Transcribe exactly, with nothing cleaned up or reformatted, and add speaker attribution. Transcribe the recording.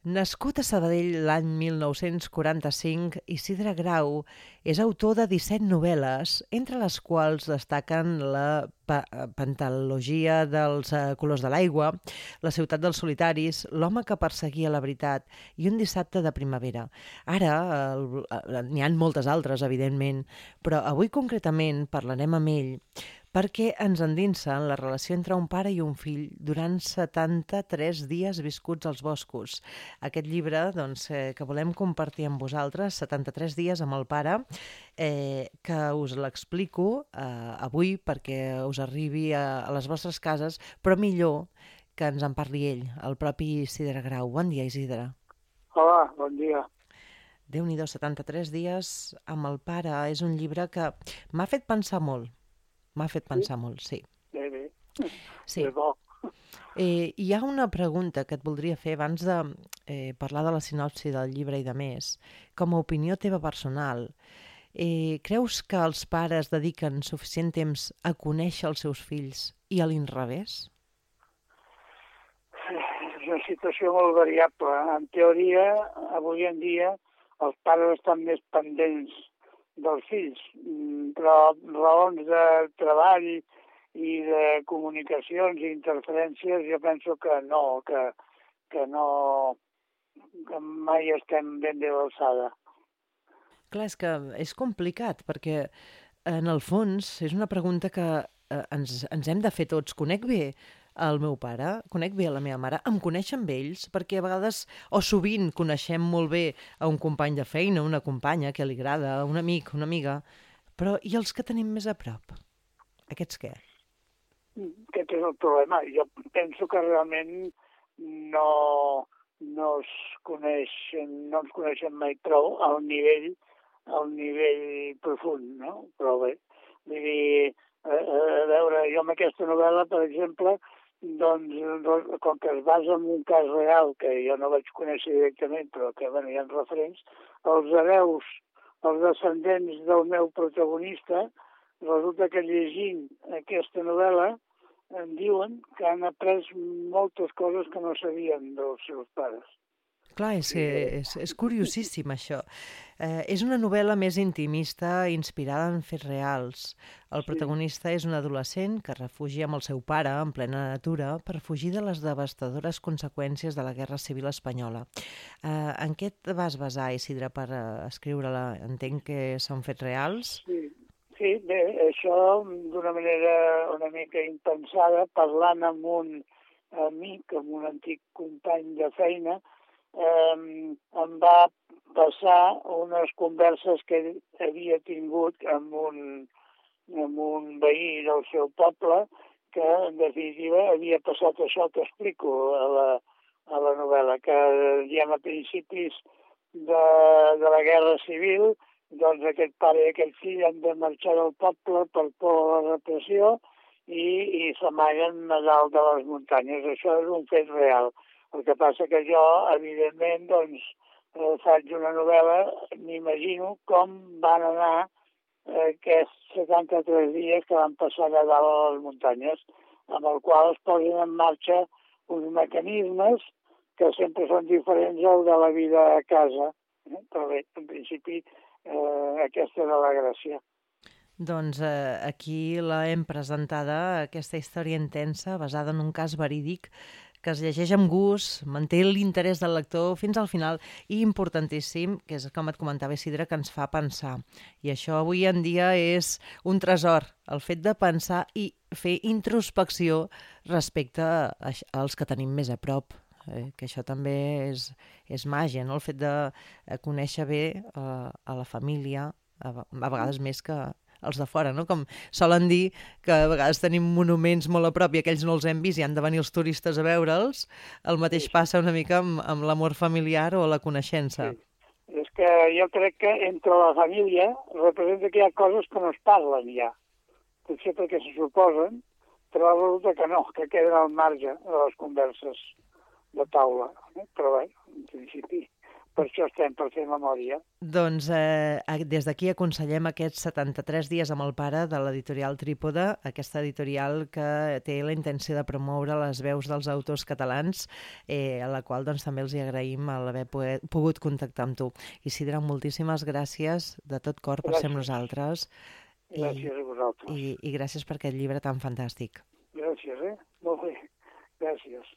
Speaker 1: Nascut a Sabadell l'any mil nou-cents quaranta-cinc, Isidre Grau és autor de disset novel·les, entre les quals destaquen la pa Pentalogia dels eh, colors de l'aigua, La ciutat dels solitaris, L'home que perseguia la veritat i Un dissabte de primavera. Ara eh, n'hi ha moltes altres, evidentment, però avui concretament parlarem amb ell perquè ens endinsa en la relació entre un pare i un fill durant setanta-tres dies viscuts als boscos. Aquest llibre doncs, eh, que volem compartir amb vosaltres, setanta-tres dies amb el pare, eh, que us l'explico eh, avui perquè us arribi a, a les vostres cases, però millor que ens en parli ell, el propi Isidre Grau. Bon dia, Isidre.
Speaker 2: Hola, bon dia.
Speaker 1: Déu-n'hi-do, setanta-tres dies amb el pare. És un llibre que m'ha fet pensar molt. M'ha fet pensar sí? molt, sí.
Speaker 2: Bé, bé.
Speaker 1: Sí.
Speaker 2: És bo.
Speaker 1: Eh, hi ha una pregunta que et voldria fer abans de eh, parlar de la sinopsi del llibre i de més. Com a opinió teva personal, eh, creus que els pares dediquen suficient temps a conèixer els seus fills i a l'inrevés?
Speaker 2: És una situació molt variable. En teoria, avui en dia, els pares estan més pendents dels fills, però raons de treball i de comunicacions i interferències jo penso que no, que, que no, que mai estem ben bé a l'alçada.
Speaker 1: Clar, és que és complicat, perquè en el fons és una pregunta que eh, ens, ens hem de fer tots. Conec bé el meu pare, conec bé la meva mare, em coneixen amb ells, perquè a vegades, o sovint, coneixem molt bé a un company de feina, una companya que li agrada, un amic, una amiga, però i els que tenim més a prop? Aquests què?
Speaker 2: Aquest és el problema. Jo penso que realment no, no es coneixen, no ens coneixen mai prou al nivell, al nivell profund, no? Però bé, vull dir, a, a veure, jo amb aquesta novel·la, per exemple, doncs, com que es basa en un cas real, que jo no vaig conèixer directament, però que bueno, hi ha referents, els hereus, els descendents del meu protagonista, resulta que llegint aquesta novel·la em diuen que han après moltes coses que no sabien dels seus pares.
Speaker 1: Clar, és, és, és curiosíssim això. Eh, és una novel·la més intimista, inspirada en fets reals. El
Speaker 2: Sí.
Speaker 1: protagonista és un adolescent que es refugia amb el seu pare en plena natura per fugir de les devastadores conseqüències de la Guerra Civil Espanyola. Eh, en què et vas basar, Isidre, per uh, escriure-la? Entenc que són fets reals?
Speaker 2: Sí, sí, bé, això d'una manera una mica impensada, parlant amb un amic, amb un antic company de feina, eh, em va passar unes converses que ell havia tingut amb un, amb un veí del seu poble que, en definitiva, havia passat això que explico a la, a la novel·la, que diguem a principis de, de la Guerra Civil, doncs aquest pare i aquest fill han de marxar del poble per por a la repressió i, i s'amaguen a dalt de les muntanyes. Això és un fet real. El que passa que jo, evidentment, doncs, eh, faig una novel·la, m'imagino com van anar eh, aquests setanta-tres dies que van passar a dalt a les muntanyes, amb el qual es posen en marxa uns mecanismes que sempre són diferents al de la vida a casa. Eh? Però bé, en principi, eh, aquesta era la gràcia.
Speaker 1: Doncs eh, aquí l'hem presentada, aquesta història intensa, basada en un cas verídic, que es llegeix amb gust, manté l'interès del lector fins al final i importantíssim, que és com et comentava Isidre, que ens fa pensar. I això avui en dia és un tresor, el fet de pensar i fer introspecció respecte als que tenim més a prop. Eh, que això també és, és màgia, no? El fet de conèixer bé eh, a la família, a, a vegades més que els de fora, no? Com solen dir que a vegades tenim monuments molt a prop i aquells no els hem vist i han de venir els turistes a veure'ls, el mateix passa una mica amb, amb l'amor familiar o la coneixença.
Speaker 2: Sí. És que jo crec que entre la família representa que hi ha coses que no es parlen ja, potser perquè se suposen, però resulta que no, que queden al marge de les converses de taula. Eh? Però bé, en principi, per això estem, per fer memòria.
Speaker 1: Doncs eh, des d'aquí aconsellem aquests setanta-tres dies amb el pare de l'editorial Trípode, aquesta editorial que té la intenció de promoure les veus dels autors catalans, eh, a la qual doncs, també els hi agraïm l'haver pogut contactar amb tu. Isidre, moltíssimes gràcies de tot cor per ser amb nosaltres.
Speaker 2: Gràcies a vosaltres.
Speaker 1: I, I gràcies per aquest llibre tan fantàstic.
Speaker 2: Gràcies, eh? Molt bé. Gràcies.